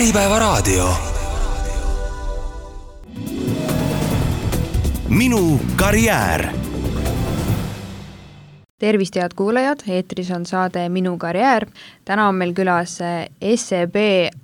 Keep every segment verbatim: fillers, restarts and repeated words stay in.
Äripäevaraadio. Minu karjäär. Tervist, head kuulajad, eetris on saade Minu karjäär. Täna on meil külas S E B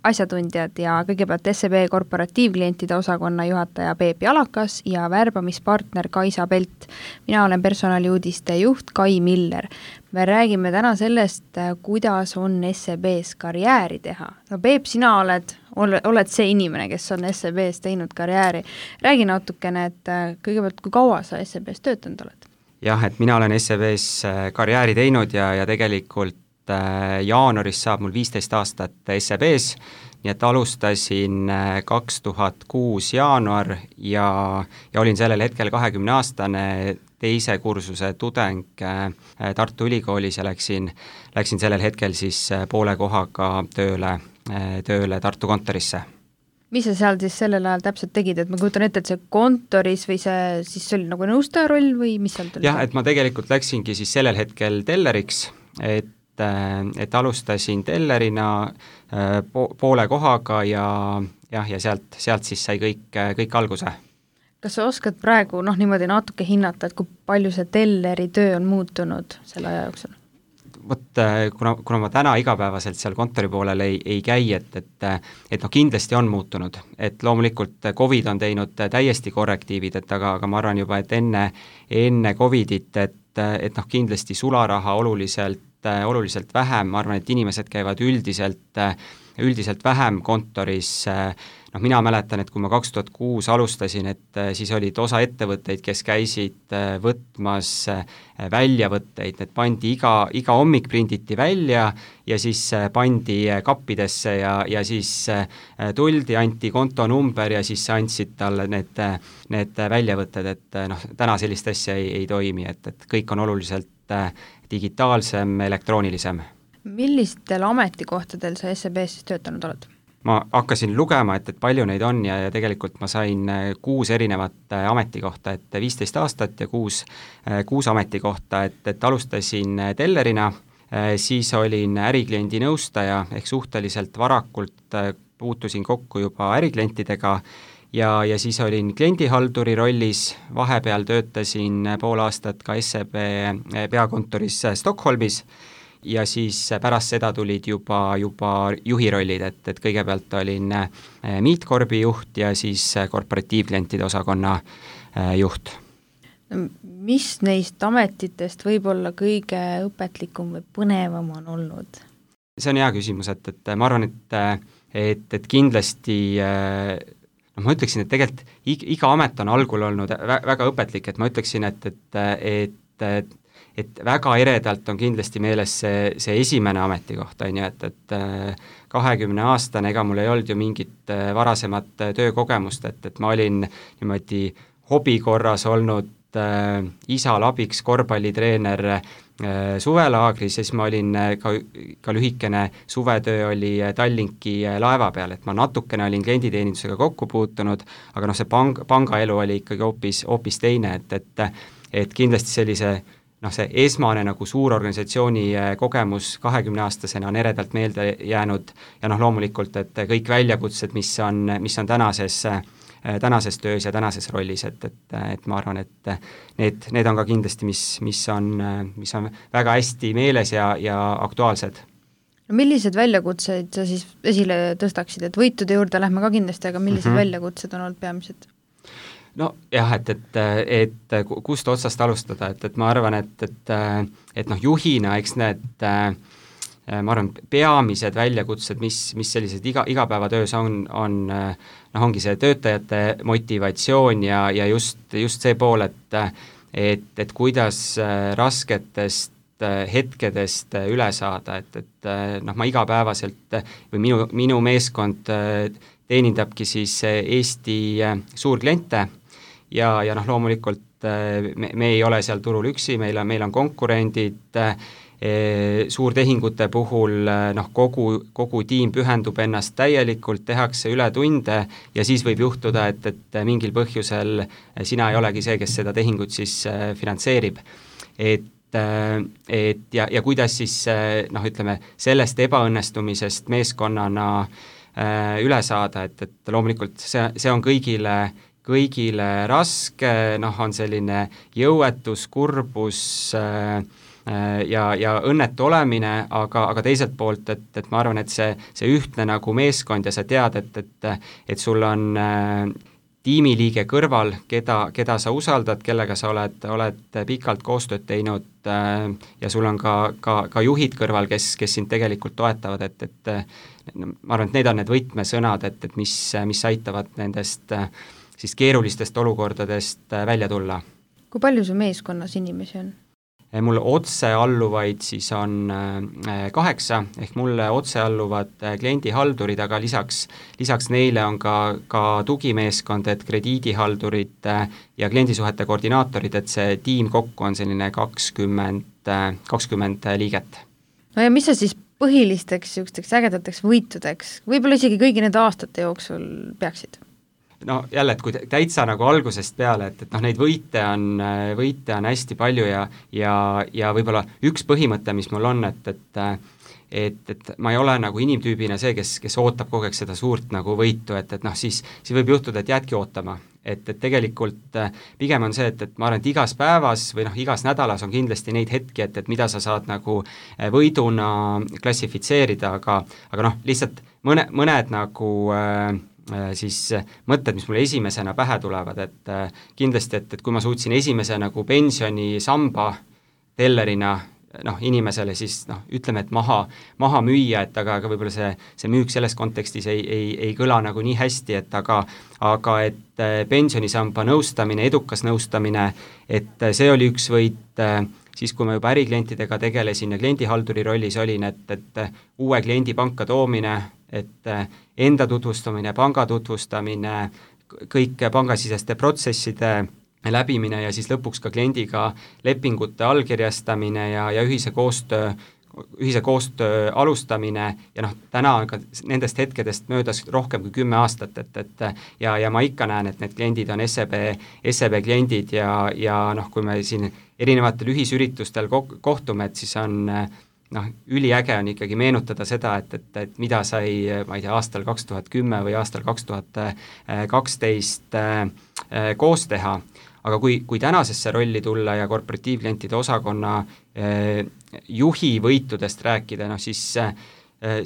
asjatundjad ja kõigepealt S E B korporatiivklientide osakonna juhataja Peep Jalakas ja värbamispartner Kaisa Pelt. Mina olen personaliuudiste juht Kai Miller. Me räägime täna sellest, kuidas on S E B-s karjääri teha. No Peep, sina oled, oled see inimene, kes on S E B-s teinud karjääri. Räägi natukene, et kõigepealt, kui kaua sa S E B-s töötanud oled? Jah, et mina olen S E B-s karjääri teinud ja, ja tegelikult jaanuaris saab mul viisteist aastat S E B-s, nii et alustasin kaks tuhat kuus jaanuar ja, ja olin sellel hetkel kahekümne aastane teise kursuse tudeng Tartu Ülikoolis ja läksin, läksin sellel hetkel siis poole kohaga tööle, tööle Tartu kontorisse. Mis sa seal siis sellel ajal täpselt tegid, et ma kujutan ette, et see kontoris või see, siis see oli nagu nõustaja roll või mis seal tuli? Jah, et ma tegelikult läksingi siis sellel hetkel telleriks, et, et alustasin tellerina poole kohaga ja, jah, ja sealt, sealt siis sai kõik, kõik alguse. Kas sa oskad praegu noh, niimoodi natuke hinnata, et kui palju see telleri töö on muutunud selle aja jooksul? Vot, kuna, kuna ma täna igapäevaselt seal kontori poolel ei, ei käi, et, et, et noh, kindlasti on muutunud, et loomulikult COVID on teinud täiesti korrektiivid, et aga, aga ma arvan juba, et enne, enne COVIDit, et, et noh, kindlasti sularaha oluliselt, oluliselt vähem, ma arvan, et inimesed käivad üldiselt, üldiselt vähem kontoris. Noh, mina mäletan, et kui ma kaks tuhat kuus alustasin, et siis olid osa ettevõtteid, kes käisid võtmas väljavõtteid, need pandi iga, iga hommik prinditi välja ja siis pandi kappidesse ja, ja siis tuldi, anti kontonumber ja siis andsid talle need, need väljavõtted, et noh, täna sellist asja ei, ei toimi, et, et kõik on oluliselt digitaalsem, elektroonilisem. Millistel ametikohtadel sa S E B-s siis töötanud oled? Ma hakkasin lugema, et, et palju neid on ja, ja tegelikult ma sain kuus erinevat ametikohta, et viisteist aastat ja kuus, kuus ametikohta, et, et alustasin tellerina, siis olin ärikliendi nõustaja ehk suhteliselt varakult puutusin kokku juba äriklientidega ja, ja siis olin kliendihalduri rollis, vahepeal töötasin pool aastat ka S E B peakontoris Stockholmis ja siis pärast seda tulid juba, juba juhi rollid, et, et kõigepealt olin Meetcorpi juht ja siis korporatiivklientide osakonna juht. Mis neist ametitest võib olla kõige õpetlikum või põnevam on olnud? See on hea küsimus, et, et ma arvan, et, et, et kindlasti no ma ütleksin, et tegelikult iga amet on algul olnud väga õpetlik, et ma ütleksin, et, et, et, et et väga eredalt on kindlasti meeles see, see esimene ametikoht, on ju, et, et kahekümne aastane, ega mul ei olnud ju mingit varasemat töökogemust, et, et ma olin niimoodi hobikorras olnud äh, isal abiks korvpallitreener äh, suvelaagris ja siis ma olin ka, ka lühikene suvetöö oli Tallinki laeva peal, et ma natukene olin klienditeenindusega kokku puutunud, aga noh, see pang, pangaelu oli ikkagi hoopis, hoopis teine, et, et, et kindlasti sellise noh, see esmane nagu suur organisatsiooni kogemus kahekümne aastasena on eredalt meelde jäänud ja noh, loomulikult, et kõik väljakutsed, mis on, mis on tänases, tänases töös ja tänases rollis, et, et, et ma arvan, et need, need on ka kindlasti, mis, mis, on, mis on väga hästi meeles ja, ja aktuaalsed. No millised väljakutseid sa siis esile tõstaksid, et võitude juurde lähme ka kindlasti, aga millised mm-hmm. väljakutsed on olnud peamised? No jah, et, et, et kust otsast alustada, et, et ma arvan, et, et, et noh, juhina, eks need, ma arvan, peamised väljakutsed, mis, mis sellised iga, igapäevatöös on, on, noh, ongi see töötajate motivatsioon ja, ja just, just see pool, et, et, et kuidas rasketest hetkedest üle saada, et, et noh, ma igapäevaselt või minu, minu meeskond teenindabki siis Eesti suurkliente ja, ja noh, loomulikult me, me ei ole seal turul üksi, meil on, meil on konkurendid, suurtehingute puhul noh, kogu, kogu tiim pühendub ennast täielikult, tehakse ületunde ja siis võib juhtuda, et, et mingil põhjusel sina ei olegi see, kes seda tehingut siis finantseerib. Et et ja, ja kuidas siis noh, ütleme, sellest ebaõnnestumisest meeskonnana üle saada, et, et loomulikult see, see on kõigile, kõigile raske, noh, on selline jõuetus, kurbus äh, ja, ja õnnetu olemine, aga, aga teiselt poolt, et, et ma arvan, et see, see ühtne nagu meeskond ja sa tead, et, et, et sul on äh, tiimiliige kõrval, keda, keda sa usaldad, kellega sa oled, oled pikalt koostööd teinud äh, ja sul on ka, ka, ka juhid kõrval, kes, kes sind tegelikult toetavad, et, et no, ma arvan, et need on need võtmesõnad, et, et mis, mis aitavad nendest äh, siis keerulistest olukordadest äh, välja tulla. Kui palju su meeskonnas inimesi on? Mul otse alluvaid siis on kaheksa, ehk mulle otse alluvad kliendihaldurid, aga lisaks, lisaks neile on ka, ka tugimeeskond, et krediidihaldurid ja kliendisuhete koordinaatorid, et see tiim kokku on selline kakskümmend, kakskümmend liiget. No ja mis sa siis põhilisteks niisugusteks ägedateks võitudeks, võib-olla isegi kõigi nende aastate jooksul peaksid? No jälle, et kui täitsa nagu algusest peale, et, et noh, neid võite on, võite on hästi palju ja, ja, ja võib-olla üks põhimõte, mis mul on, et, et et, et ma ei ole nagu inimtüübina see, kes, kes ootab kogu aeg seda suurt nagu võitu, et, et noh, siis, siis võib juhtuda, et jäädki ootama. Et, et tegelikult pigem on see, et, et ma arvan, et igas päevas või noh, igas nädalas on kindlasti neid hetki, et, et mida sa saad nagu võiduna klassifitseerida, aga, aga noh, lihtsalt mõne, mõned nagu äh, siis mõtted, mis mulle esimesena pähe tulevad, et kindlasti, et, et kui ma suutsin esimese nagu pensionisamba tellerina noh, inimesele siis noh, ütleme, et maha, maha müüa, et aga, aga võib-olla see, see müük selles kontekstis ei, ei, ei kõla nagu nii hästi, et aga, aga et pensionisamba nõustamine, edukas nõustamine, et see oli üks võit, siis kui ma juba äriklientidega tegelesin ja kliendihalduri rollis olin, et, et uue kliendi panka toomine, et enda tutvustamine, panga tutvustamine, kõik pangasiseste protsesside läbimine ja siis lõpuks ka kliendiga lepingute allkirjastamine ja, ja ühise koostöö, ühise koostöö alustamine ja noh, täna on ka nendest hetkedest möödas rohkem kui kümme aastat, et, et ja, ja ma ikka näen, et need kliendid on S E B, S E B kliendid ja, ja noh, kui me siin erinevatel ühisüritustel kohtume, et siis on noh, üliäge on ikkagi meenutada seda, et, et, et mida sai, ma ei tea, aastal kaks tuhat kümme või aastal kaks tuhat kaksteist koos teha, aga kui, kui tänasesse rolli tulla ja korporatiivklientide osakonna eh, juhi võitudest rääkida, noh siis eh,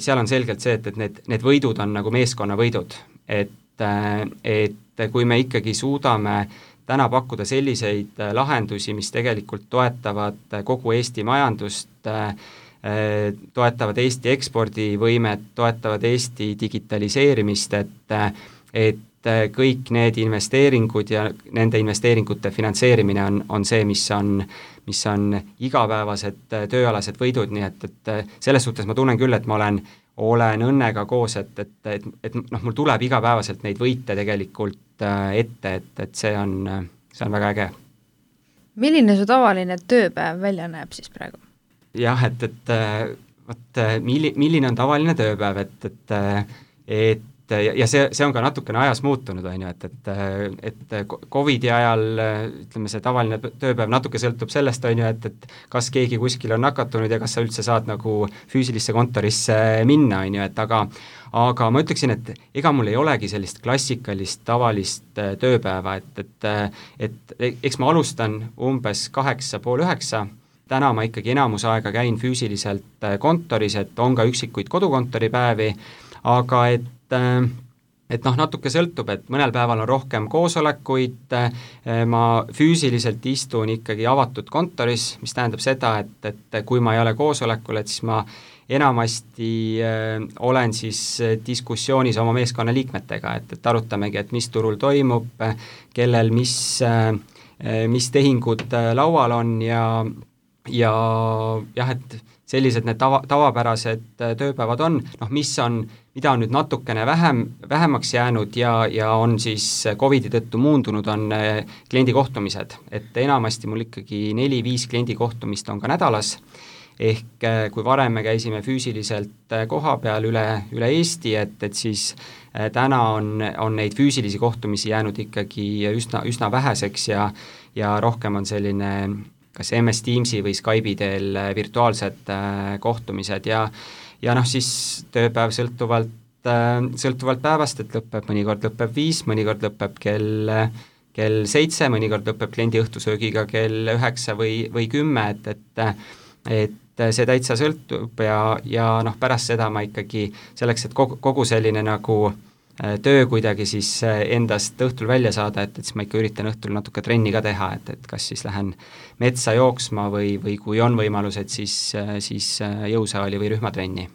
seal on selgelt see, et, et need, need võidud on nagu meeskonna võidud, et, eh, et kui me ikkagi suudame täna pakkuda selliseid lahendusi, mis tegelikult toetavad kogu Eesti majandust, toetavad Eesti ekspordivõimet, toetavad Eesti digitaliseerimist, et, et kõik need investeeringud ja nende investeeringute finantseerimine on, on see, mis on, mis on igapäevased tööalased võidud, nii et, et selles suhtes ma tunnen küll, et ma olen, olen õnnega koos, et, et, et, et noh, mul tuleb igapäevaselt neid võite tegelikult ette, et, et see on, see on väga äge. Milline su tavaline tööpäev välja näeb siis praegu? Jah, et, et võt, milli, milline on tavaline tööpäev, et, et, et ja see, see on ka natukene ajas muutunud, on ju, et, et, et Covidi ajal, ütleme, see tavaline tööpäev natuke sõltub sellest, on ju, et, et kas keegi kuskil on nakatunud ja kas sa üldse saad nagu füüsilisse kontorisse minna, on ju, et aga aga ma ütleksin, et ega mul ei olegi sellist klassikalist tavalist tööpäeva, et, et, et eks ma alustan umbes kaheksa pool üheksa, täna ma ikkagi enamus aega käin füüsiliselt kontoris, et on ka üksikuid kodukontoripäevi, aga et et noh, natuke sõltub, et mõnel päeval on rohkem koosolekuid, ma füüsiliselt istun ikkagi avatud kontoris, mis tähendab seda, et, et kui ma ei ole koosolekul, et siis ma enamasti äh, olen siis diskussioonis oma meeskonna liikmetega, et, et arutamegi, et mis turul toimub, kellel mis, äh, mis tehingud laual on ja, ja jah, et sellised need tava, tavapärased tööpäevad on, noh mis on, mida on nüüd natukene vähem, vähemaks jäänud ja, ja on siis Covidi tõttu muundunud, on kliendi kohtumised, et enamasti mul ikkagi neli-viis kliendi kohtumist on ka nädalas, ehk kui varem me käisime füüsiliselt koha peal üle, üle Eesti, et, et siis täna on, on neid füüsilisi kohtumisi jäänud ikkagi üsna, üsna väheseks ja, ja rohkem on selline kas M S Teamsi või Skype'i teel virtuaalsed kohtumised ja, ja noh, siis tööpäev sõltuvalt sõltuvalt päevast, et lõpeb, mõnikord lõpeb viis, mõnikord lõpeb kell, kell seitse, mõnikord lõpeb kliendi õhtusöögiga kell üheksa või, või kümme, et, et et see täitsa sõltub ja, ja noh, pärast seda ma ikkagi selleks, et kogu, kogu selline nagu töö kuidagi siis endast õhtul välja saada, et, et siis ma ikka üritan õhtul natuke trenni ka teha, et, et kas siis lähen metsa jooksma või, või kui on võimalused, siis, siis jõusaali või rühmatrenni.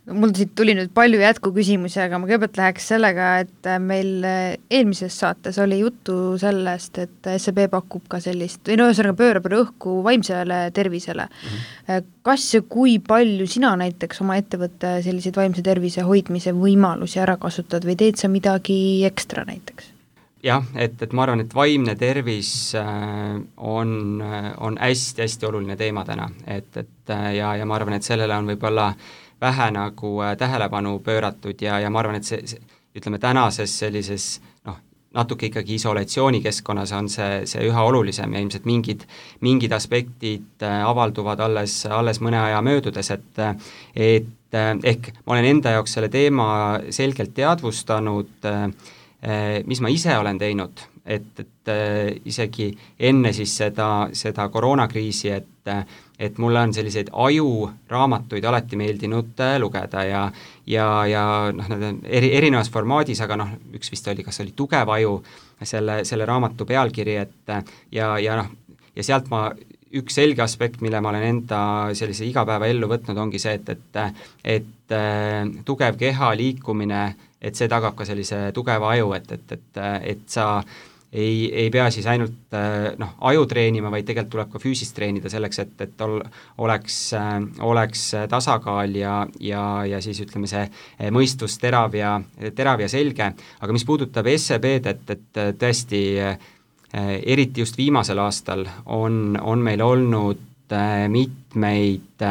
Mul siit tuli nüüd palju jätkuküsimusi, aga ma kõigepealt läheks sellega, et meil eelmises saates oli juttu sellest, et S E B pakub ka sellist, või no ühesõnaga pöörab rõhku vaimsele tervisele. Mm-hmm. Kas ja kui palju sina näiteks oma ettevõtte selliseid vaimse tervise hoidmise võimalusi ära kasutad või teed sa midagi ekstra näiteks? Jah, et, et ma arvan, et vaimne tervis on, on hästi-hästi oluline teema täna, et, et ja, ja ma arvan, et sellele on võib-olla vähe nagu tähelepanu pööratud ja, ja ma arvan, et see, see, ütleme tänases sellises noh, natuke ikkagi isolatsioonikeskkonnas on see, see üha olulisem ja ilmselt mingid, mingid aspektid avalduvad alles, alles mõne aja möödudes, et, et ehk ma olen enda jaoks selle teema selgelt teadvustanud, mis ma ise olen teinud, et, et isegi enne siis seda, seda koroonakriisi, et et mulle on selliseid ajuraamatuid alati meeldinud lugeda ja, ja, ja noh, need on eri, erinevas formaadis, aga noh, üks vist oli, kas oli Tugev aju, selle, selle raamatu pealkiri, et ja, ja noh, ja sealt ma, üks selge aspekt, mille ma olen enda sellise igapäeva ellu võtnud, ongi see, et, et, et tugev keha, liikumine, et see tagab ka sellise tugeva aju, et, et, et, et sa ei, ei pea siis ainult noh, aju treenima, vaid tegelikult tuleb ka füüsist treenida selleks, et, et ol, oleks, oleks tasakaal ja, ja, ja siis ütleme see mõistus terav ja, terav ja selge, aga mis puudutab S E B-d, et, et tõesti eriti just viimasel aastal on, on meil olnud mitmeid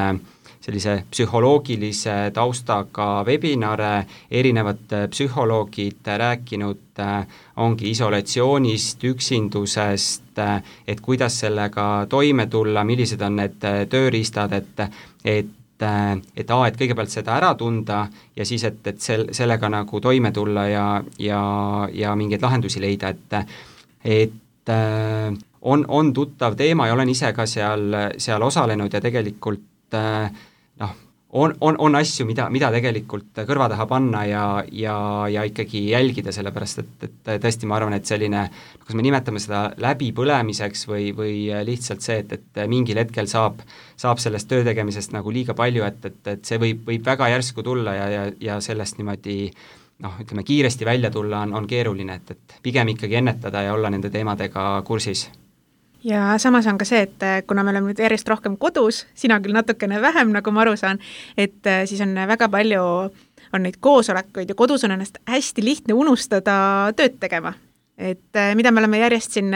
sellise psühholoogilise taustaga webinare, erinevad psühholoogid rääkinud ongi isolatsioonist, üksindusest, et kuidas sellega toime tulla, millised on need tööriistad, et, et, et a, et kõigepealt seda ära tunda ja siis, et, et sel, sellega nagu toime tulla ja, ja, ja mingeid lahendusi leida, et, et on, on tuttav teema ja olen ise ka seal, seal osalenud ja tegelikult noh, on, on, on asju, mida, mida tegelikult kõrva taha panna ja, ja, ja ikkagi jälgida, sellepärast et, et tõesti ma arvan, et selline, kas me nimetame seda läbipõlemiseks või, või lihtsalt see, et, et mingil hetkel saab, saab sellest töö tegemisest nagu liiga palju, et, et, et see võib, võib väga järsku tulla ja, ja, ja sellest niimoodi noh, ütleme kiiresti välja tulla on, on keeruline, et, et pigem ikkagi ennetada ja olla nende teemadega kursis. Ja samas on ka see, et kuna me oleme nüüd järjest rohkem kodus, sina küll natukene vähem, nagu ma aru saan, et siis on väga palju, on neid koosolekuid ja kodus on ennast hästi lihtne unustada tööd tegema. Et mida me oleme järjest siin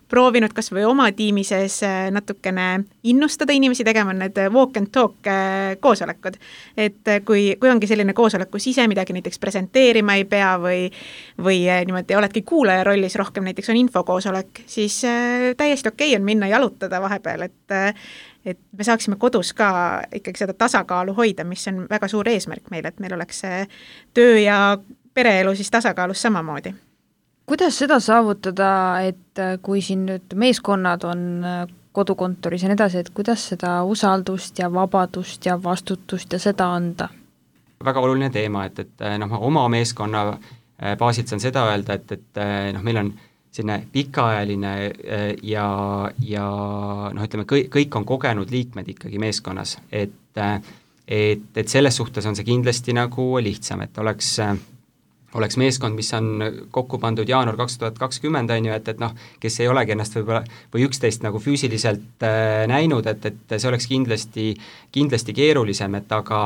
proovinud kas või oma tiimi sees natukene innustada inimesi tegema, need walk and talk koosolekud. Et kui, kui ongi selline koosolek, kus ise midagi näiteks presenteerima ei pea või, või niimoodi oledki kuulaja rollis rohkem, näiteks on infokoosolek, siis täiesti okei on minna jalutada vahepeal, et, et me saaksime kodus ka ikkagi seda tasakaalu hoida, mis on väga suur eesmärk meil, et meil oleks töö ja pereelu siis tasakaalus samamoodi. Kuidas seda saavutada, et kui siin nüüd meeskonnad on kodukontoris ja nii edasi, et kuidas seda usaldust ja vabadust ja vastutust ja seda anda? Väga oluline teema, et, et noh, oma meeskonna baasilt saan seda öelda, et, et noh, meil on selline pikaajaline ja, ja noh, ütleme, kõik, kõik on kogenud liikmed ikkagi meeskonnas, et, et, et selles suhtes on see kindlasti nagu lihtsam, et oleks oleks meeskond, mis on kokku pandud jaanuar kaks tuhat kakskümmend, on ju, et, et noh, kes ei olegi ennast võib-olla või üksteist nagu füüsiliselt äh, näinud, et, et see oleks kindlasti, kindlasti keerulisem, et aga,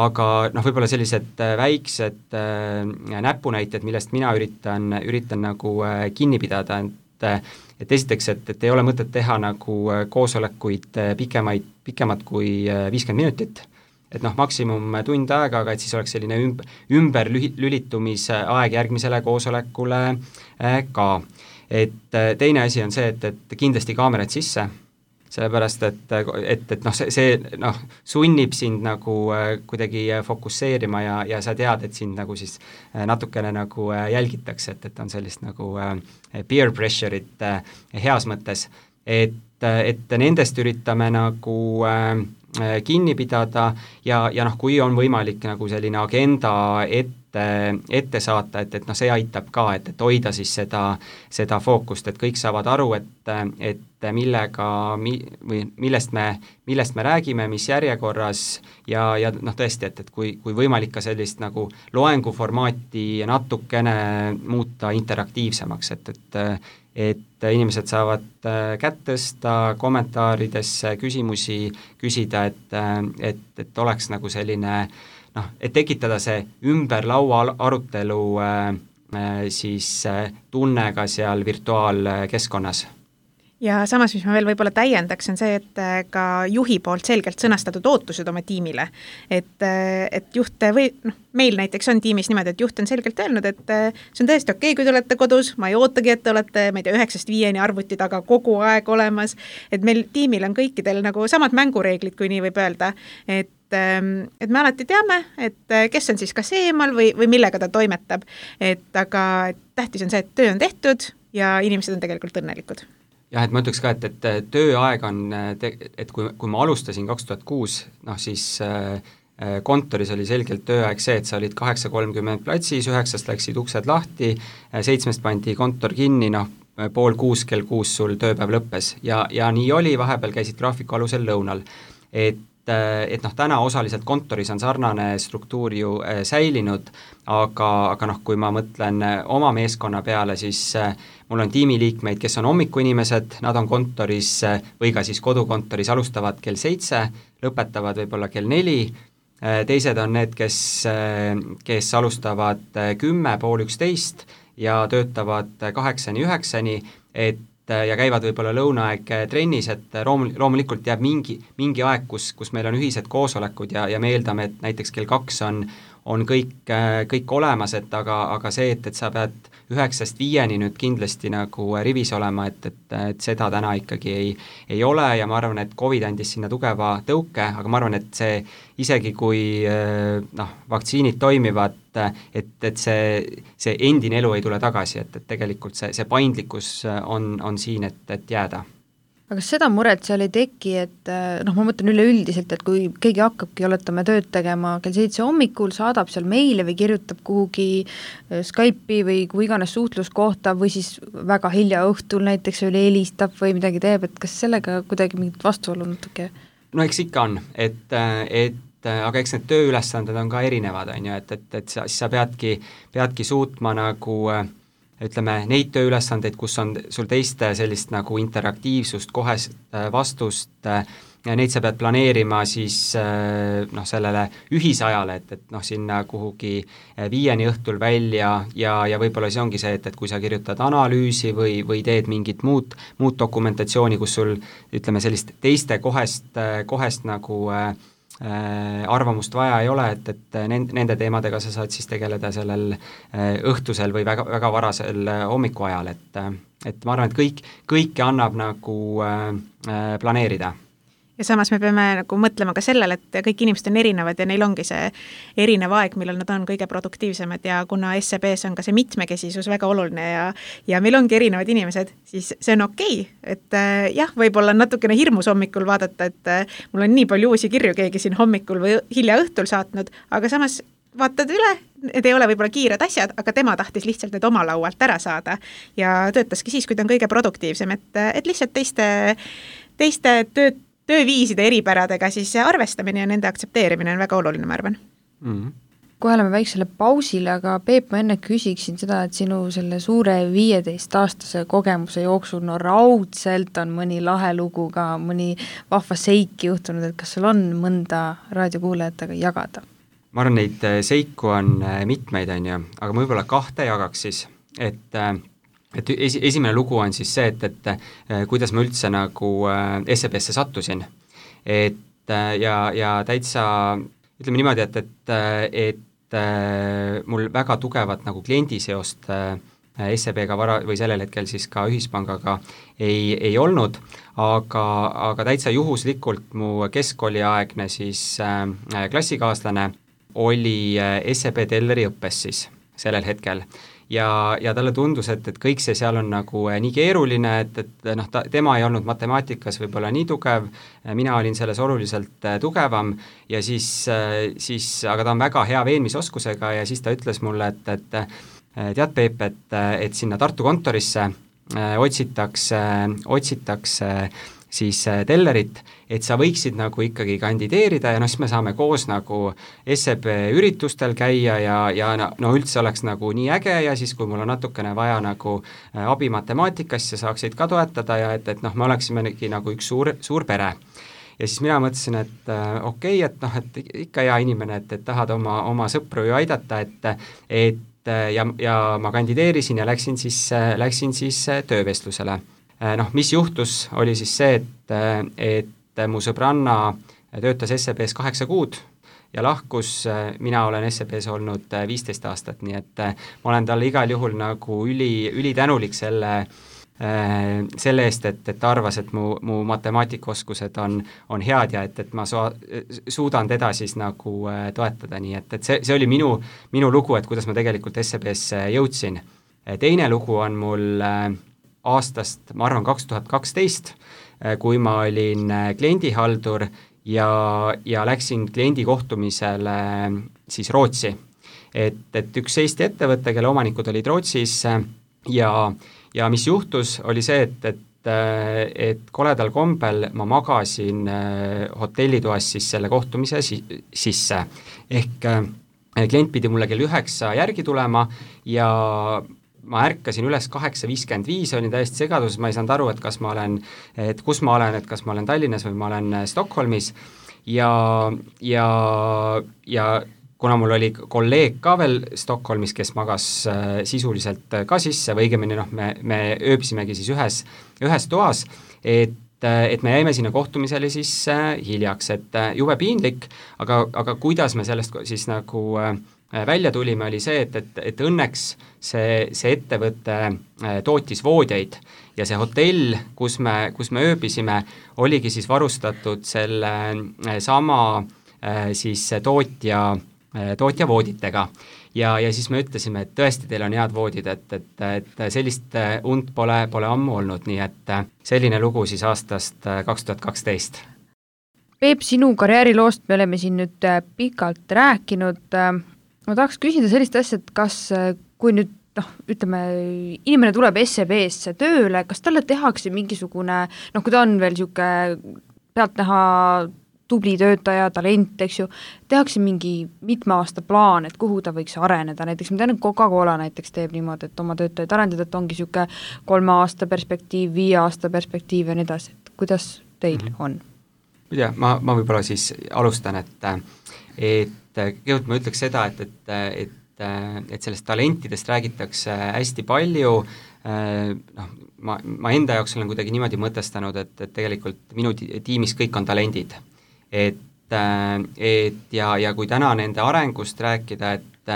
aga noh, võib-olla sellised väiksed äh, näpunäited, millest mina üritan, üritan nagu äh, kinni pidada, et, et esiteks, et, et ei ole mõtet teha nagu koosolekuid pikemaid, pikemad kui viiskümmend minutit, et noh, maksimum tund aega, aga et siis oleks selline ümber, ümber lülitumise aeg järgmisele koosolekule ka. Et teine asi on see, et, et kindlasti kaamerad sisse, sellepärast et, et, et noh, see, see noh, sunnib sind nagu kuidagi fokusseerima ja, ja sa tead, et sind nagu siis natukene nagu jälgitakse, et, et on sellist nagu peer pressure'it heas mõttes, et, et nendest üritame nagu kinni pidada ja, ja noh, kui on võimalik nagu selline agenda ette ette saata, et, et noh, see aitab ka, et, et hoida siis seda, seda fookust, et kõik saavad aru, et, et millega mi, või millest me, millest me räägime, mis järjekorras ja, ja noh, tõesti, et, et kui, kui võimalik ka sellist nagu loenguformaati natukene muuta interaktiivsemaks, et, et et inimesed saavad kätt tõsta, kommentaaridesse küsimusi küsida, et, et, et oleks nagu selline noh, et tekitada see ümber laua arutelu äh, siis äh, tunne ka seal virtuaalkeskkonnas. Ja samas, mis ma veel võib-olla täiendaks, on see, et ka juhi poolt selgelt sõnastatud ootused oma tiimile. Et, et juht või noh, meil näiteks on tiimis niimoodi, et juht on selgelt öelnud, et see on tõesti okei, kui te olete kodus, ma ei ootagi, et te olete, ma ei tea, üheksast viieni arvuti taga kogu aeg olemas, et meil tiimil on kõikidel nagu samad mängureeglid, kui nii võib öelda, et et me alati teame, et kes on siis kas eemal või, või millega ta toimetab, et aga tähtis on see, et töö on tehtud ja inimesed on tegelikult õnnelikud. Jah, et ma ütleks ka, et, et tööaeg on, et kui, kui ma alustasin kaks tuhat kuus, noh siis kontoris oli selgelt tööaeg see, et sa olid kaheksa kolmkümmend platsis, üheksast läksid uksed lahti, seitsmest pandi kontor kinni, noh pool kuus, kell kuus sul tööpäev lõppes ja, ja nii oli, vahepeal käisid graafiku alusel lõunal, et et noh, täna osaliselt kontoris on sarnane struktuur ju säilinud, aga, aga noh, kui ma mõtlen oma meeskonna peale, siis mul on tiimiliikmeid, kes on hommikuinimesed, nad on kontoris või ka siis kodukontoris, alustavad kell seitse, lõpetavad võib-olla kell neli, teised on need, kes, kes alustavad kümme, pool üksteist ja töötavad kaheksani, üheksani, et ja käivad võib-olla lõunaaeg trennis, et room, loomulikult jääb mingi, mingi aeg, kus, kus meil on ühised koosolekud ja, ja me eeldame, et näiteks kell kaks on, on kõik, kõik olemas, et aga, aga see, et, et sa pead üheksast viieni nüüd kindlasti nagu rivis olema, et, et, et seda täna ikkagi ei, ei ole ja ma arvan, et Covid andis sinna tugeva tõuke, aga ma arvan, et see isegi kui noh, vaktsiinid toimivad, et, et see, see endine elu ei tule tagasi, et, et tegelikult see, see paindlikkus on, on siin, et, et jääda. Aga kas seda muret seal ei teki, et noh, ma mõtlen üleüldiselt, et kui keegi hakkabki, oletame, tööd tegema kell seitse hommikul, saadab seal meile või kirjutab kuhugi Skype'i või kui iganes suhtluskohta või siis väga hilja õhtul näiteks oli helistab või midagi teeb, et kas sellega kuidagi mingit vastuolu natuke? No eks ikka on, et, et aga eks need tööülesanded on ka erinevad, on ju, et, et, et sa, sa peadki, peadki suutma nagu ütleme, neid tööülesandeid, kus on sul teiste sellist nagu interaktiivsust, kohest vastust, neid sa pead planeerima siis noh, sellele ühisajale, et, et noh, sinna kuhugi viieni õhtul välja ja, ja võib-olla see ongi see, et, et kui sa kirjutad analüüsi või, või teed mingit muud, muud dokumentatsiooni, kus sul ütleme sellist teiste kohest, kohest nagu arvamust vaja ei ole, et, et nende teemadega sa saad siis tegeleda sellel õhtusel või väga, väga varasel hommikuajal, et, et ma arvan, et kõik, kõike annab nagu planeerida. Ja samas me peame nagu mõtlema ka sellele, et kõik inimesed on erinevad ja neil ongi see erinev aeg, millal nad on kõige produktiivsemad ja kuna S E B-s on ka see mitmekesisus väga oluline ja, ja meil ongi erinevad inimesed, siis see on okei, et äh, jah, võib-olla on natukene hirmus hommikul vaadata, et äh, mul on nii palju uusi kirju keegi siin hommikul või hilja õhtul saatnud, aga samas vaatad üle, need ei ole võib-olla kiired asjad, aga tema tahtis lihtsalt need oma laualt ära saada ja töötaski siis, kui ta on kõige produktiivsem, et, et lihtsalt teiste, teiste tööd tööviiside eripäradega siis arvestamine ja nende aktsepteerimine on väga oluline, ma arvan. Mm-hmm. Kohe oleme väiksele pausile, aga Peep, ma enne küsiksin seda, et sinu selle suure viieteist-aastase kogemuse jooksul no raudselt on mõni lahe lugu ka, mõni vahva seik juhtunud, et kas sul on mõnda raadiokuulajatega jagada? Ma arvan, neid seiku on mitmeid, on ju, aga ma võib-olla kahte jagaks siis, et et esi, esimene lugu on siis see, et, et kuidas ma üldse nagu S E B-sse sattusin. Et ja, ja täitsa, ütleme niimoodi, et, et, et mul väga tugevat nagu kliendiseost S E B-ga vara või sellel hetkel siis ka Ühispangaga ei, ei olnud, aga, aga täitsa juhuslikult mu keskkooliaegne siis äh, klassikaaslane oli S E B Telleri õppes siis sellel hetkel. Ja, ja talle tundus, et, et kõik see seal on nagu nii keeruline, et, et noh, ta, tema ei olnud matemaatikas võib-olla nii tugev, mina olin selles oluliselt tugevam ja siis, siis, aga ta on väga hea veenmisoskusega ja siis ta ütles mulle, et, et tead, Peep, et, et sinna Tartu kontorisse otsitakse, otsitakse siis tellerit, et sa võiksid nagu ikkagi kandideerida ja noh, siis me saame koos nagu S E B üritustel käia ja, ja no üldse oleks nagu nii äge ja siis, kui mul on natukene vaja nagu abi matemaatikast ja saaksid ka toetada ja et, et noh, me oleksimegi nagu üks suur, suur pere. Ja siis mina mõtlesin, et äh, okei okay,, et noh, et ikka hea inimene, et, et tahad oma, oma sõpru ju aidata, et, et ja, ja ma kandideerisin ja läksin siis, läksin siis töövestlusele. Noh, mis juhtus, oli siis see, et, et mu sõbranna töötas S E B-s kaheksa kuud ja lahkus, mina olen S E B-s olnud viisteist aastat, nii et ma olen talle igal juhul nagu üli, üli tänulik selle, selle eest, et, et ta arvas, et mu, mu matemaatikaoskused on, on head ja et, et ma su, suudan teda siis nagu toetada, nii et, et see, see oli minu, minu lugu, et kuidas ma tegelikult S E B-sse jõudsin. Teine lugu on mul aastast, ma arvan, kaks tuhat kaksteist, kui ma olin kliendihaldur ja, ja läksin kliendi kohtumisele siis Rootsi. Et, et üks Eesti ettevõte, kelle omanikud olid Rootsis ja, ja mis juhtus, oli see, et, et, et koledal kombel ma magasin hotellitoas siis selle kohtumise si- sisse. Ehk klient pidi mulle kell üheksa järgi tulema ja ma ärkasin üles kaheksa viiskümmend viis, olin täiesti segadus, ma ei saanud aru, et kas ma olen, et kus ma olen, et kas ma olen Tallinnas või ma olen Stockholmis ja, ja, ja kuna mul oli kolleeg ka veel Stockholmis, kes magas äh, sisuliselt ka sisse, või õigemini noh, me, me ööbisimegi siis ühes, ühes toas, et et me jäime sinna kohtumisele siis äh, hiljaks, et äh, jube piinlik, aga, aga kuidas me sellest siis nagu äh, välja tulime, oli see, et, et, et õnneks see, see ettevõte tootis voodjaid ja see hotell, kus me, kus me ööbisime, oligi siis varustatud selle sama siis tootja, tootja vooditega. Ja, ja siis me ütlesime, et tõesti teil on head voodid, et, et, et sellist und pole, pole ammu olnud, nii et selline lugu siis aastast kaks tuhat kaksteist. Peep, sinu karjääriloost me oleme siin nüüd pikalt rääkinud. Ma tahaks küsida sellist asja, et kas, kui nüüd, noh, ütleme, inimene tuleb S E B-sse tööle, kas talle tehakse mingisugune, noh, kui ta on veel niisugune pealtnäha tubli töötaja, talent, eks ju, tehakse mingi mitme aasta plaan, et kuhu ta võiks areneda, näiteks ma tean, et Coca-Cola näiteks teeb niimoodi, et oma töötajaid arendada, et ongi niisugune kolme aasta perspektiiv, viie aasta perspektiiv ja nii edasi, et kuidas teil mm-hmm. on? Ma tea, ma, ma võib-olla siis alustan, et, et kõigepealt ma ütleks seda, et, et, et, et sellest talentidest räägitakse hästi palju, noh, ma, ma enda jaoks olen kuidagi niimoodi mõtestanud, et, et tegelikult minu tiimis kõik on talendid. Et, et ja, ja kui täna nende arengust rääkida, et,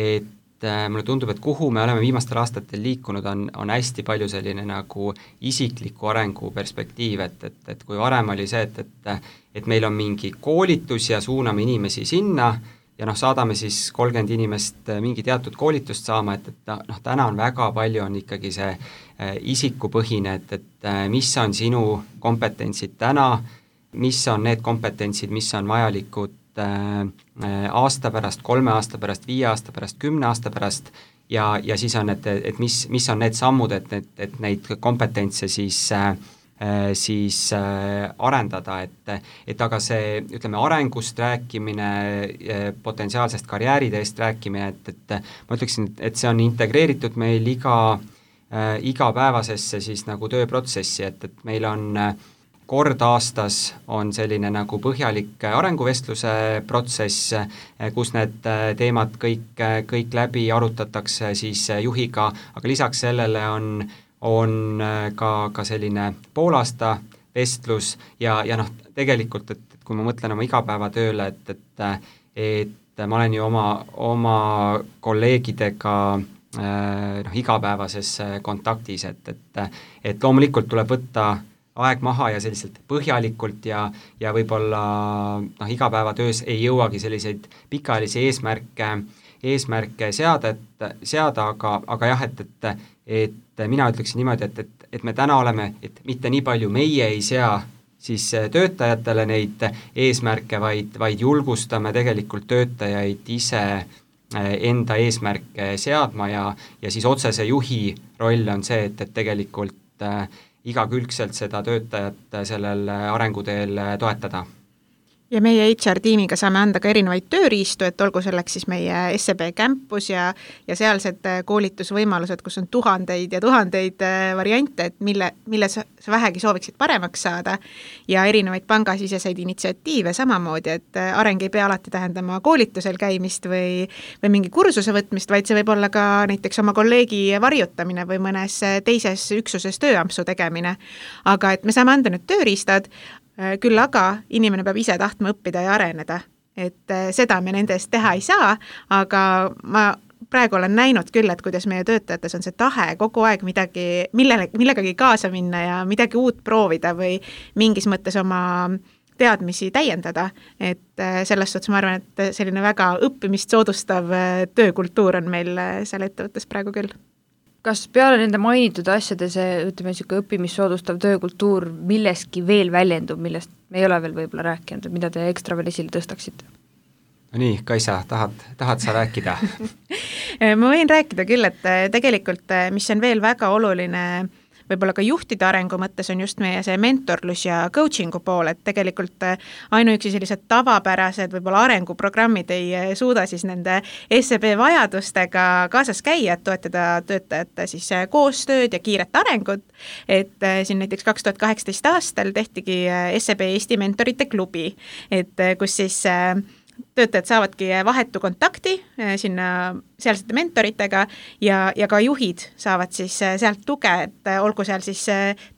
et mulle tundub, et kuhu me oleme viimastel aastatel liikunud, on, on hästi palju selline nagu isikliku arengu perspektiiv, et, et, et kui varem oli see, et, et, et meil on mingi koolitus ja suuname inimesi sinna ja noh, saadame siis kolmkümmend inimest mingi teatud koolitust saama, et, et noh, täna on väga palju on ikkagi see isikupõhine, et, et mis on sinu kompetentsid täna, mis on need kompetentsid, mis on vajalikud aasta pärast, kolme aasta pärast, viie aasta pärast, kümne aasta pärast ja, ja siis on, et, et mis, mis on need sammud, et, et, et neid kompetentse siis, siis arendada, et, et aga see, ütleme, arengust rääkimine, potentsiaalsest karjääriteest rääkimine, et, et ma ütleksin, et see on integreeritud meil iga, igapäevasesse siis nagu tööprotsessi, et, et meil on kord aastas on selline nagu põhjalik arenguvestluse protsess, kus need teemad kõik, kõik läbi arutatakse siis juhiga, aga lisaks sellele on, on ka, ka selline poolaasta vestlus ja, ja noh, tegelikult, et, et kui ma mõtlen oma igapäevatööle, et, et, et ma olen ju oma, oma kolleegidega noh, igapäevases kontaktis, et, et, et loomulikult tuleb võtta aeg maha ja selliselt põhjalikult ja, ja võib-olla noh, igapäevatöös ei jõuagi selliseid pikaajalisi eesmärke, eesmärke seada, et, seada, aga, aga jah, et, et, et mina ütleksin niimoodi, et, et, et me täna oleme, et mitte nii palju meie ei sea siis töötajatele neid eesmärke, vaid, vaid julgustame tegelikult töötajaid ise enda eesmärke seadma ja, ja siis otsese juhi roll on see, et, et tegelikult äh, igakülgselt seda töötajat sellel arenguteel toetada. Ja meie H R tiimiga saame anda ka erinevaid tööriistu, et olgu selleks siis meie S E B campus ja, ja sealsed koolitusvõimalused, kus on tuhandeid ja tuhandeid variante, et mille, mille sa vähegi sooviksid paremaks saada ja erinevaid pangasiseseid initsiatiive samamoodi, et areng ei pea alati tähendama koolitusel käimist või, või mingi kursuse võtmist, vaid see võib olla ka näiteks oma kolleegi varjutamine või mõnes teises üksuses tööampsu tegemine. Aga et me saame anda nüüd tööriistad, küll aga inimene peab ise tahtma õppida ja areneda, et seda me nende eest teha ei saa, aga ma praegu olen näinud küll, et kuidas meie töötajates on see tahe kogu aeg midagi, millele, millegagi kaasa minna ja midagi uut proovida või mingis mõttes oma teadmisi täiendada, et selles suhtes ma arvan, et selline väga õppimist soodustav töökultuur on meil seal ettevõttes praegu küll. Kas peale nende mainitud asjade see, ütleme, niisugune õppimissoodustav töökultuur milleski veel väljendub, millest me ei ole veel võib-olla rääkinud, mida te ekstra veel esile tõstaksite? No nii, Kaisa, tahad, tahad sa rääkida? Ma võin rääkida küll, et tegelikult, mis on veel väga oluline võib-olla ka juhtide arengu mõttes on just meie see mentorlus ja coachingu pool, et tegelikult ainuüksi sellised tavapärased võib-olla arenguprogrammid ei suuda siis nende S E B vajadustega kaasas käia, et toetada töötajate siis koostööd ja kiiret arengut, et siin näiteks kaks tuhat kaheksateist aastal tehtigi S E B Eesti mentorite klubi, et kus siis töötajad saavadki vahetu kontakti sinna sealsete mentoritega ja, ja ka juhid saavad siis sealt tuge, et olgu seal siis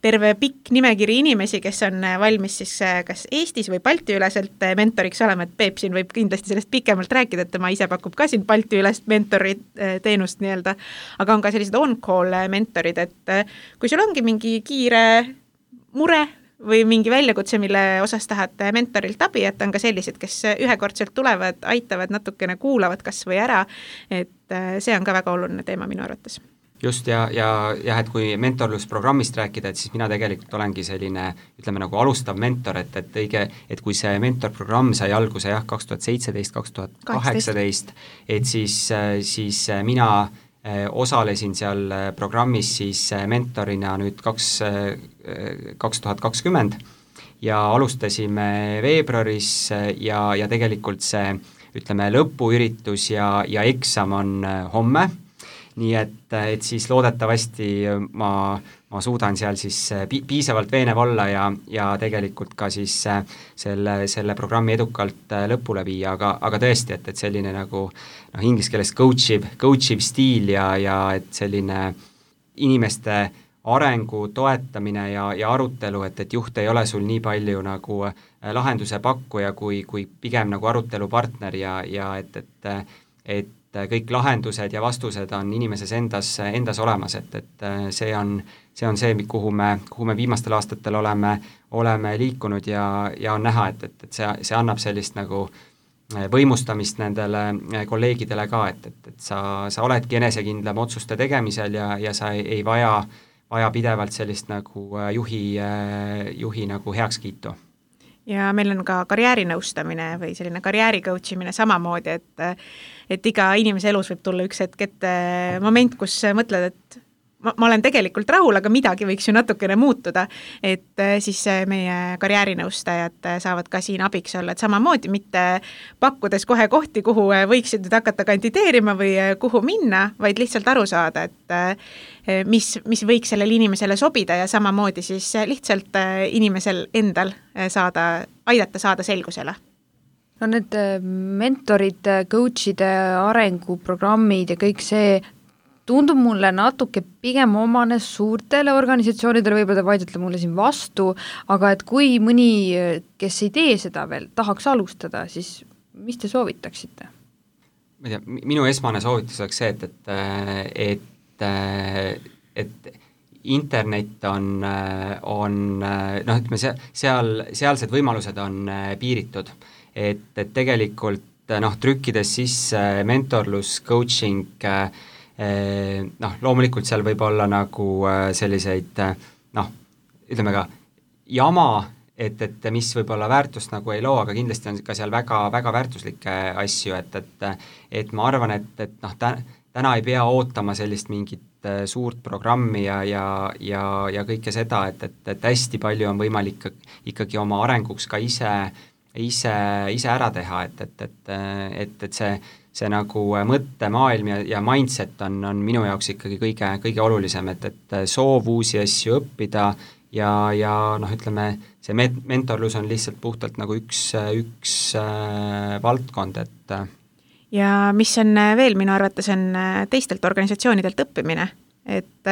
terve pikk nimekiri inimesi, kes on valmis siis kas Eestis või Balti üleselt mentoriks olema, et Peep siin võib kindlasti sellest pikemalt rääkida, et tema ise pakub ka siin Balti ülest mentori teenust nii-öelda, aga on ka sellised on-call mentorid, et kui sul ongi mingi kiire mure või mingi väljakutse, mille osas tahad mentorilt abi, et on ka sellised, kes ühekordselt tulevad, aitavad, natukene kuulavad kas või ära, et see on ka väga oluline teema minu arvates. Just ja, ja jah, et kui mentorlusprogrammist rääkida, et siis mina tegelikult olengi selline, ütleme nagu alustav mentor, et, et õige, et kui see mentorprogramm sai alguse jah, kaks tuhat seitseteist, kaks tuhat kaheksateist, et siis, siis mina osalesin seal programmis siis mentorina nüüd kaks, kaks tuhat kakskümmend ja alustasime veebruaris ja, ja tegelikult see, ütleme, lõpuüritus ja, ja eksam on homme, nii et, et siis loodetavasti ma, ma suudan seal siis pi- piisavalt veenev olla ja, ja tegelikult ka siis selle, selle programmi edukalt lõpule viia, aga, aga tõesti, et, et selline nagu noh, inglise keeles coachiv, coachiv stiil ja, ja et selline inimeste arengu toetamine ja, ja arutelu, et, et juht ei ole sul nii palju nagu lahenduse pakkuja, kui, kui pigem nagu arutelupartner ja, ja et, et, et kõik lahendused ja vastused on inimeses endas, endas olemas, et, et see on, see on see, kuhu me, kuhu me viimastel aastatel oleme, oleme liikunud ja, ja on näha, et, et, et see, see annab sellist nagu võimustamist nendele kolleegidele ka, et, et, et sa, sa oledki enesekindlam otsuste tegemisel ja, ja sa ei, ei vaja, vaja pidevalt sellist nagu juhi, juhi nagu heakskiitu. Ja meil on ka karjäärinõustamine või selline karjääri coach imine samamoodi, et, et iga inimese elus võib tulla üks hetk ette moment, kus mõtled, et ma, ma olen tegelikult rahul, aga midagi võiks ju natukene muutuda, et siis meie karjäärinõustajad saavad ka siin abiks olla, et samamoodi mitte pakkudes kohe kohti, kuhu võiksid nüüd hakata kandideerima või kuhu minna, vaid lihtsalt aru saada, et mis, mis võiks sellele inimesele sobida ja samamoodi siis lihtsalt inimesel endal saada, aidata saada selgusele. No need mentorid, coach'ide arenguprogrammid ja kõik see tundub mulle natuke pigem omane suurtele organisatsioonidele, võib-olla ta vaidlete mulle siin vastu, aga et kui mõni, kes ei tee seda veel, tahaks alustada, siis mis te soovitaksite? ma ei tea, minu esmane soovitus oleks see, et, et, et, et internet on, on noh, ütleme, see, seal, sealsed võimalused on piiritud. Et, et tegelikult noh, trükkides sisse mentorlus, coaching, noh, loomulikult seal võib olla nagu selliseid noh, ütleme ka jama, et, et mis võib-olla väärtust nagu ei loo, aga kindlasti on ka seal väga, väga väärtuslikke asju, et, et, et ma arvan, et, et noh, täna ei pea ootama sellist mingit suurt programmi ja, ja, ja, ja kõike seda, et, et, et hästi palju on võimalik ikkagi oma arenguks ka ise, ise, ise ära teha, et, et, et, et, et see, see nagu mõttemaailm ja, ja mindset on, on minu jaoks ikkagi kõige, kõige olulisem, et, et soov uusi asju õppida ja, ja noh, ütleme, see met-, mentorlus on lihtsalt puhtalt nagu üks, üks äh, valdkond, et ja mis on veel minu arvates, on teistelt organisatsioonidelt õppimine. Et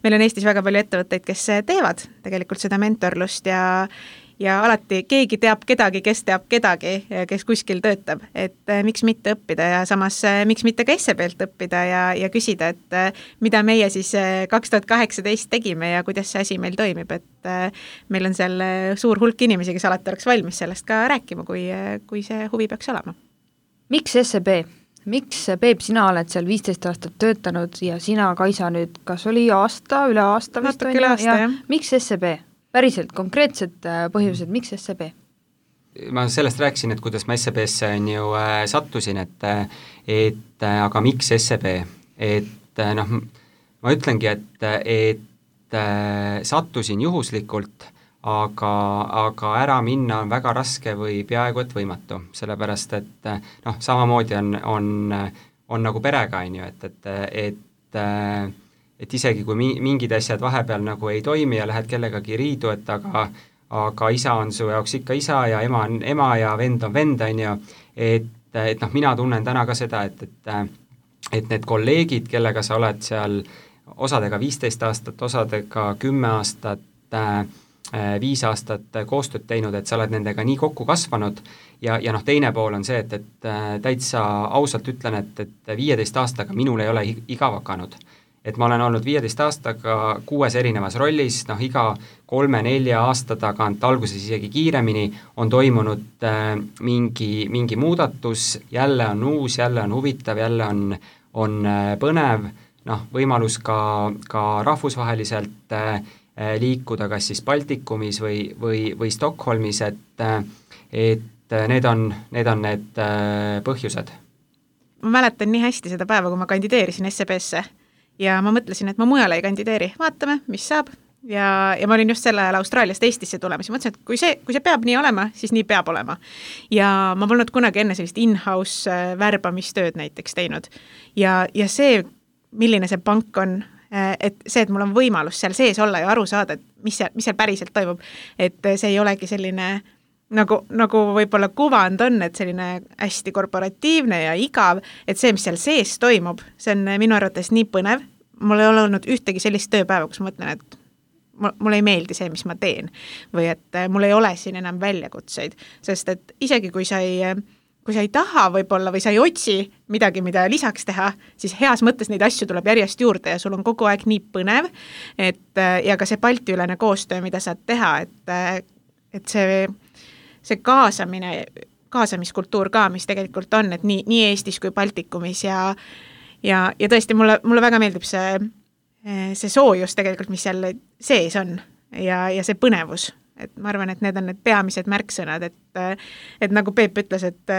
meil on Eestis väga palju ettevõtteid, kes teevad tegelikult seda mentorlust ja, ja alati keegi teab kedagi, kes teab kedagi, kes kuskil töötab. Et miks mitte õppida ja samas miks mitte ka S E B-lt õppida ja, ja küsida, et mida meie siis kaks tuhat kaheksateist tegime ja kuidas see asi meil toimib. Et meil on seal suur hulk inimesi, kes alati oleks valmis sellest ka rääkima, kui, kui see huvi peaks olema. Miks S E B? Miks, Peep, sina oled seal viisteist aastat töötanud ja sina, Kaisa, nüüd kas oli aasta, üle aasta vist on ju? Ja miks S E B? Päriselt, konkreetsed põhjused, miks S E B? Ma sellest rääkisin, et kuidas ma S E B-sse on ju äh, sattusin, et, et aga miks S E B? Et noh, ma ütlengi, et, et äh, sattusin juhuslikult, aga, aga ära minna on väga raske või peaaegu et võimatu, sellepärast et noh, samamoodi on, on, on nagu perega, on ju, et, et, et, et isegi kui mingid asjad vahepeal nagu ei toimi ja lähed kellegagi riidu, et aga, aga isa on su jaoks ikka isa ja ema on ema ja vend on vend, on ju, et, et noh, mina tunnen täna ka seda, et, et, et need kolleegid, kellega sa oled seal osadega viisteist aastat, osadega kümme aastat, viis aastat koostööd teinud, et sa oled nendega nii kokku kasvanud ja, ja noh, teine pool on see, et, et täitsa ausalt ütlen, et, et viieteist aastaga minul ei ole igav hakanud. Et ma olen olnud viieteist aastaga kuues erinevas rollis, noh iga kolme-nelja aasta tagant, alguses isegi kiiremini, on toimunud äh, mingi, mingi muudatus, jälle on uus, jälle on huvitav, jälle on, on äh, põnev, noh võimalus ka, ka rahvusvaheliselt äh, liikuda kas siis Baltikumis või, või, või Stockholmis, et, et need on need, on need põhjused. Ma mäletan nii hästi seda päeva, kui ma kandideerisin S E B-sse ja ma mõtlesin, et ma mujale ei kandideeri, vaatame, mis saab. Ja, ja ma olin just selle ajal Austraaliast Eestisse tulemas ja mõtlesin, et kui see, kui see peab nii olema, siis nii peab olema. Ja ma polnud kunagi enne sellist in-house värbamistööd näiteks teinud. Ja, ja see, milline see pank on, et see, et mul on võimalus seal sees olla ja aru saada, et mis seal, mis seal päriselt toimub, et see ei olegi selline, nagu, nagu võib-olla kuvand on, et selline hästi korporatiivne ja igav, et see, mis seal sees toimub, see on minu arvates nii põnev, mul ei ole olnud ühtegi sellist tööpäeva, kus ma mõtlen, et mul ei meeldi see, mis ma teen või et mul ei ole siin enam väljakutseid, sest et isegi kui sa ei kui sa ei taha võib-olla või sa ei otsi midagi, mida lisaks teha, siis heas mõttes neid asju tuleb järjest juurde ja sul on kogu aeg nii põnev, et ja ka see Balti-ülene koostöö, mida saad teha, et, et see, see kaasamine, kaasamiskultuur ka, mis tegelikult on, et nii, nii Eestis kui Baltikumis ja, ja, ja tõesti mulle, mulle väga meeldib see, see soojus tegelikult, mis seal sees on ja, ja see põnevus. Et ma arvan, et need on need peamised märksõnad, et, et nagu Peep ütles, et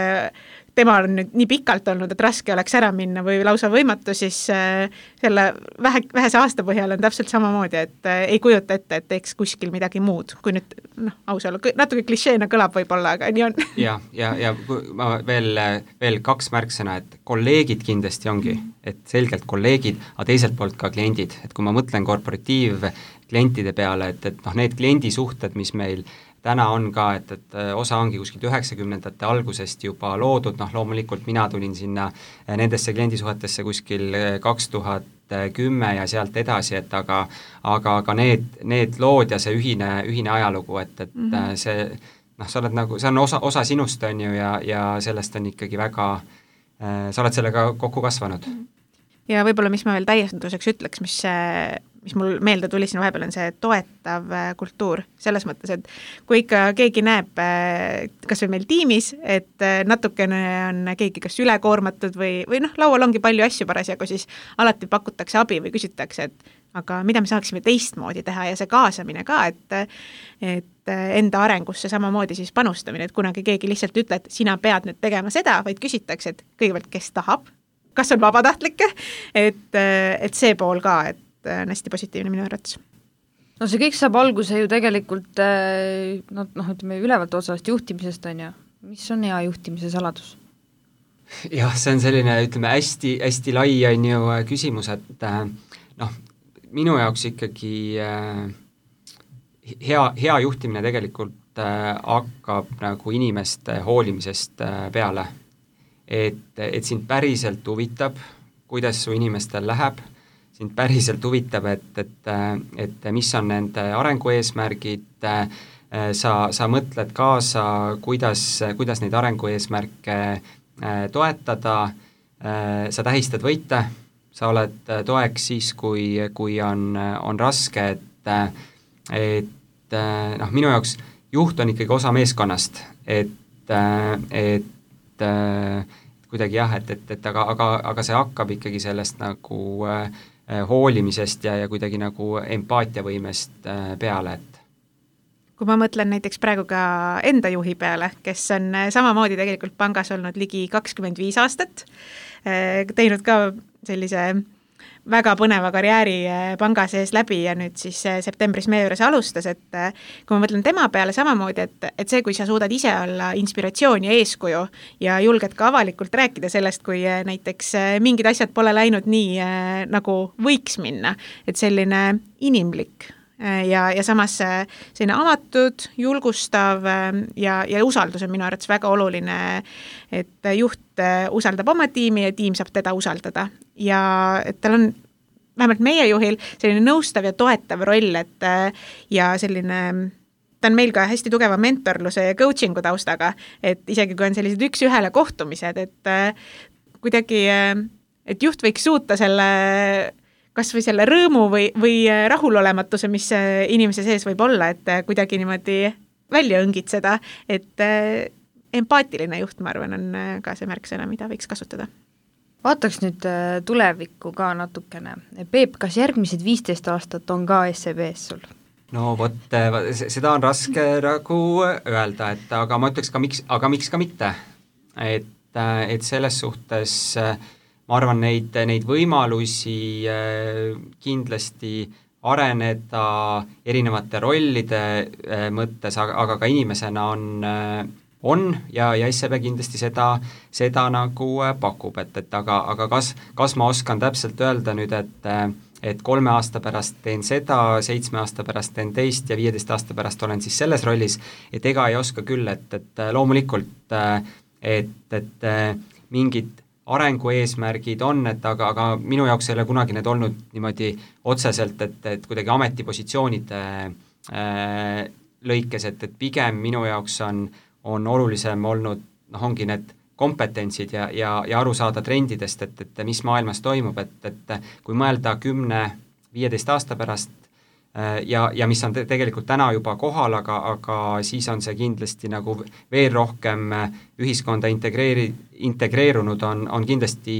tema on nüüd nii pikalt olnud, et raske oleks ära minna või lausa võimatu, siis selle vähe, vähese aasta põhjal on täpselt samamoodi, et ei kujuta ette, et teeks kuskil midagi muud, kui nüüd noh, aus olla, natuke klišeena kõlab võib-olla, aga nii on. ja, ja, ja ma veel, veel kaks märksõna, et kolleegid kindlasti ongi, et selgelt kolleegid, aga teiselt poolt ka kliendid, et kui ma mõtlen korporatiiv klientide peale, et, et noh, need kliendisuhted, mis meil täna on ka, et, et osa ongi kuskilt üheksakümnendate algusest juba loodud, noh loomulikult mina tulin sinna nendesse kliendisuhetesse kuskil kaks tuhat kümme ja sealt edasi, et aga, aga, aga need, need lood ja see ühine, ühine ajalugu, et, et mm-hmm. see noh, sa oled nagu, see on osa, osa sinust on ju ja, ja sellest on ikkagi väga sa oled sellega kokku kasvanud. Ja võib-olla, mis ma veel täienduseks ütleks, mis, mis mul meelde tuli siin vahepeal, on see toetav kultuur. Selles mõttes, et kui ikka keegi näeb, kas või meil tiimis, et natukene on keegi kas ülekoormatud või, või noh, laual ongi palju asju parasjagu, siis alati pakutakse abi või küsitakse, et aga mida me saaksime teistmoodi teha ja see kaasamine ka, et, et enda arengusse samamoodi siis panustamine, et kunagi keegi lihtsalt ütle, et sina pead nüüd tegema seda, vaid küsitakse, et kõigepealt, kes tahab, kas on vabatahtlikke, et, et see pool ka, et on hästi positiivne minu arvates. No see kõik saab alguse ju tegelikult no, noh, ütleme ülevalt otsast juhtimisest on ju. Mis on hea juhtimise saladus? Jah, see on selline, ütleme, hästi, hästi lai on ju küsimus, et noh, minu jaoks ikkagi hea, hea juhtimine tegelikult hakkab nagu inimeste hoolimisest peale. Et, et sind päriselt huvitab, kuidas su inimestel läheb, sind päriselt huvitab, et, et, et mis on nende arengueesmärgid, sa, sa mõtled kaasa, kuidas, kuidas neid arengueesmärke toetada, sa tähistad võite, sa oled toeks siis, kui, kui on, on raske, et, et noh, minu jaoks juht on ikkagi osa meeskonnast, et, et kuidagi jah, et, et, et aga, aga, aga see hakkab ikkagi sellest nagu äh, hoolimisest ja, ja kuidagi nagu empaatiavõimest äh, peale, et kui ma mõtlen näiteks praegu ka enda juhi peale, kes on samamoodi tegelikult pangas olnud ligi kakskümmend viis aastat, teinud ka sellise väga põneva karjääri panga sees läbi ja nüüd siis septembris meie juures alustas, et kui ma mõtlen tema peale samamoodi, et, et see, kui sa suudad ise olla inspiratsioon ja eeskuju ja julged ka avalikult rääkida sellest, kui näiteks mingid asjad pole läinud nii, nagu võiks minna, et selline inimlik ja, ja samas selline avatud, julgustav ja, ja usaldus on minu arvates väga oluline, et juht usaldab oma tiimi ja tiim saab teda usaldada ja et tal on vähemalt meie juhil selline nõustav ja toetav roll, et ja selline, ta on meil ka hästi tugeva mentorluse ja coachingu taustaga, et isegi kui on sellised üks-ühele kohtumised, et kuidagi, et juht võiks suuta selle kas või selle rõõmu või, või rahulolematuse, mis inimese sees võib olla, et kuidagi niimoodi välja õngitseda, et empaatiline juht, ma arvan, on ka see märksõna, mida võiks kasutada. Vaataks nüüd tulevikku ka natukene. Peep, kas järgmised viisteist aastat on ka S E B-s sul? No vot, seda on raske nagu öelda, et aga ma ütleks ka miks, aga miks ka mitte. Et, et selles suhtes ma arvan, neid, neid võimalusi kindlasti areneda erinevate rollide mõttes, aga, aga ka inimesena on, on ja, ja S E B kindlasti seda, seda nagu pakub, et, et aga, aga kas, kas ma oskan täpselt öelda nüüd, et, et kolme aasta pärast teen seda, seitsme aasta pärast teen teist ja viieteist aasta pärast olen siis selles rollis, et ega ei oska küll, et, et loomulikult, et, et mingid arengueesmärgid on, et aga, aga minu jaoks ei ole kunagi need olnud niimoodi otseselt, et, et kuidagi ametipositsioonide äh, lõikes, et, et pigem minu jaoks on, on olulisem olnud, noh, ongi need kompetentsid ja, ja, ja aru saada trendidest, et, et mis maailmas toimub, et, et kui mõelda kümne, viieteist aasta pärast ja, ja mis on te- tegelikult täna juba kohal, aga, aga siis on see kindlasti nagu veel rohkem ühiskonda integreeri-, integreerunud, on, on kindlasti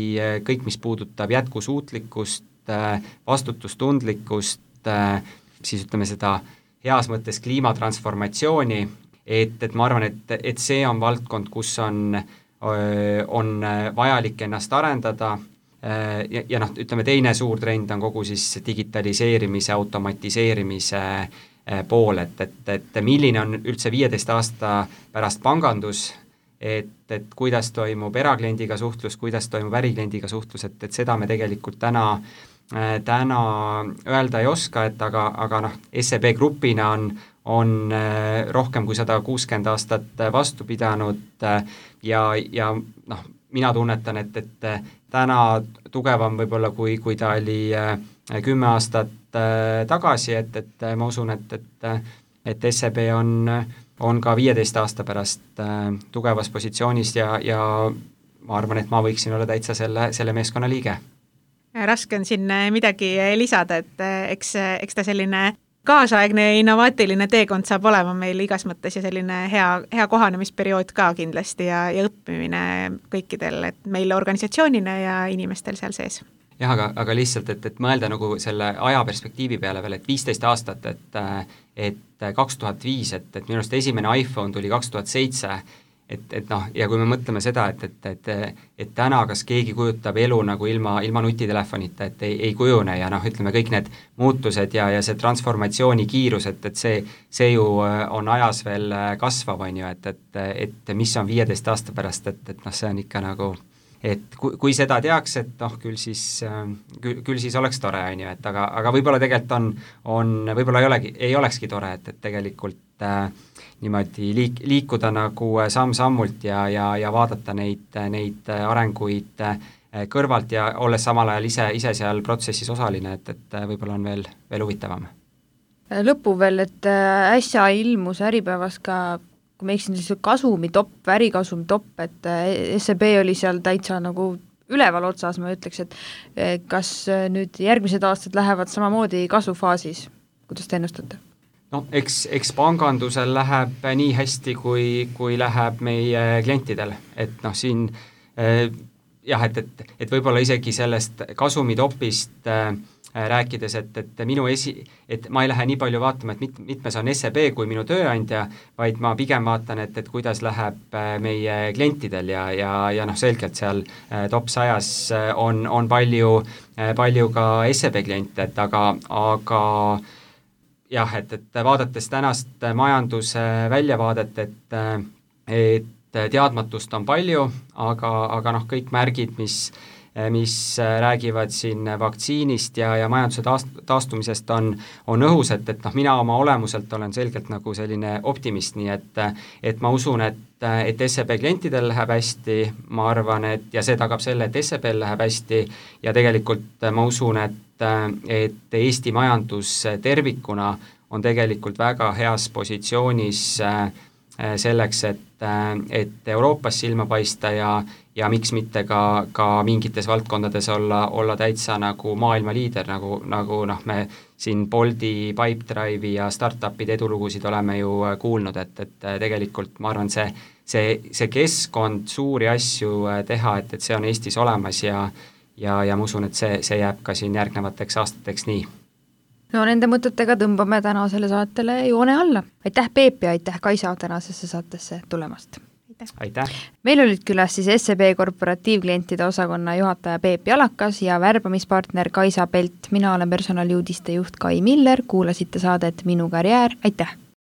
kõik, mis puudutab jätkusuutlikkust, vastutustundlikkust, siis ütleme seda heas mõttes kliimatransformatsiooni, et, et ma arvan, et, et see on valdkond, kus on, on vajalik ennast arendada. Ja, ja noh, ütleme teine suur trend on kogu siis digitaliseerimise, automatiseerimise pool, et, et, et milline on üldse viieteist aasta pärast pangandus, et, et kuidas toimub erakliendiga suhtlus, kuidas toimub ärikliendiga suhtlus, et, et seda me tegelikult täna, täna öelda ei oska, et aga, aga noh, S E B grupina on, on rohkem kui sada kuuskümmend aastat vastu pidanud ja, ja noh, mina tunnetan, et, et täna tugevam võib-olla, kui, kui ta oli kümme aastat tagasi, et, et ma usun, et, et, et S E B on, on ka viieteist aasta pärast tugevas positsioonis ja, ja ma arvan, et ma võiksin olla täitsa selle, selle meeskonna liige. Raske on siin midagi lisada, et eks, eks ta selline kaasaegne ja innovaatiline teekond saab olema meil igas mõttes ja selline hea, hea kohanemisperiood ka kindlasti ja, ja õppimine kõikidel, et meil organisatsioonina ja inimestel seal sees. Jah, aga, aga lihtsalt, et, et mõelda nagu selle ajaperspektiivi peale veel, et viisteist aastat, et, et kaks tuhat viis, et, et minu arust esimene iPhone tuli kaks tuhat seitse, et, et noh, ja kui me mõtleme seda, et, et, et, et täna kas keegi kujutab elu nagu ilma, ilma nutitelefonita, et ei, ei kujune ja noh, ütleme kõik need muutused ja, ja see transformatsiooni kiirus, et, et see, see ju on ajas veel kasvav, on ju, et, et, et mis on viieteist aasta pärast, et, et noh, see on ikka nagu, et kui, kui seda teaks, et noh, küll siis, küll, küll siis oleks tore, on ju, et aga, aga võib-olla tegelikult on, on võib-olla ei olegi, ei olekski tore, et, et tegelikult äh, niimoodi liik, liikuda nagu samm-sammult ja, ja, ja vaadata neid, neid arenguid kõrvalt ja olles samal ajal ise, ise seal protsessis osaline, et, et võib-olla on veel, veel huvitavam. Lõppu veel, et äsja ilmus Äripäevas ka, kui me eksin, siis kasumi topp, ärikasumi topp, et S E B oli seal täitsa nagu üleval otsas, ma ütleks, et kas nüüd järgmised aastad lähevad samamoodi kasvufaasis, kuidas te ennustate? No eks, eks pangandusel läheb nii hästi, kui, kui läheb meie klientidel, et noh, siin eh, jah, et, et, et võib-olla isegi sellest kasumitopist eh, rääkides, et, et minu esi, et ma ei lähe nii palju vaatama, et mit, mitmes on S E B kui minu tööandja, vaid ma pigem vaatan, et, et kuidas läheb meie klientidel ja, ja, ja noh, selgelt seal top sajas on, on palju, palju ka S E B kliente, et aga, aga jah, et, et vaadates tänast majanduse väljavaadet, et, et teadmatust on palju, aga, aga noh, kõik märgid, mis mis räägivad siin vaktsiinist ja, ja majanduse taast, taastumisest on, on õhus, et, et noh, mina oma olemuselt olen selgelt nagu selline optimist, nii et, et ma usun, et, et S E B klientidel läheb hästi, ma arvan, et ja see tagab selle, et S E B-l läheb hästi ja tegelikult ma usun, et, et Eesti majandus tervikuna on tegelikult väga heas positsioonis selleks, et, et Euroopas silma paista ja, ja miks mitte ka, ka mingites valdkondades olla, olla täitsa nagu maailma liider, nagu, nagu noh, me siin Bolti, Pipedrive'i ja startupide edulugusid oleme ju kuulnud, et, et tegelikult ma arvan, see, see, see keskkond suuri asju teha, et, et see on Eestis olemas ja, ja, ja ma usun, et see, see jääb ka siin järgnevateks aastateks nii. No nende mõtetega tõmbame tänasele saatele joone alla. Aitäh Peep ja aitäh Kaisa tänasesse saatesse tulemast. Aitäh. Aitäh. Meil olid külas siis S E B korporatiivklientide osakonna juhataja Peep Jalakas ja värbamispartner Kaisa Pelt. Mina olen personaliuudiste juht Kai Miller, kuulasite saadet Minu karjäär. Aitäh!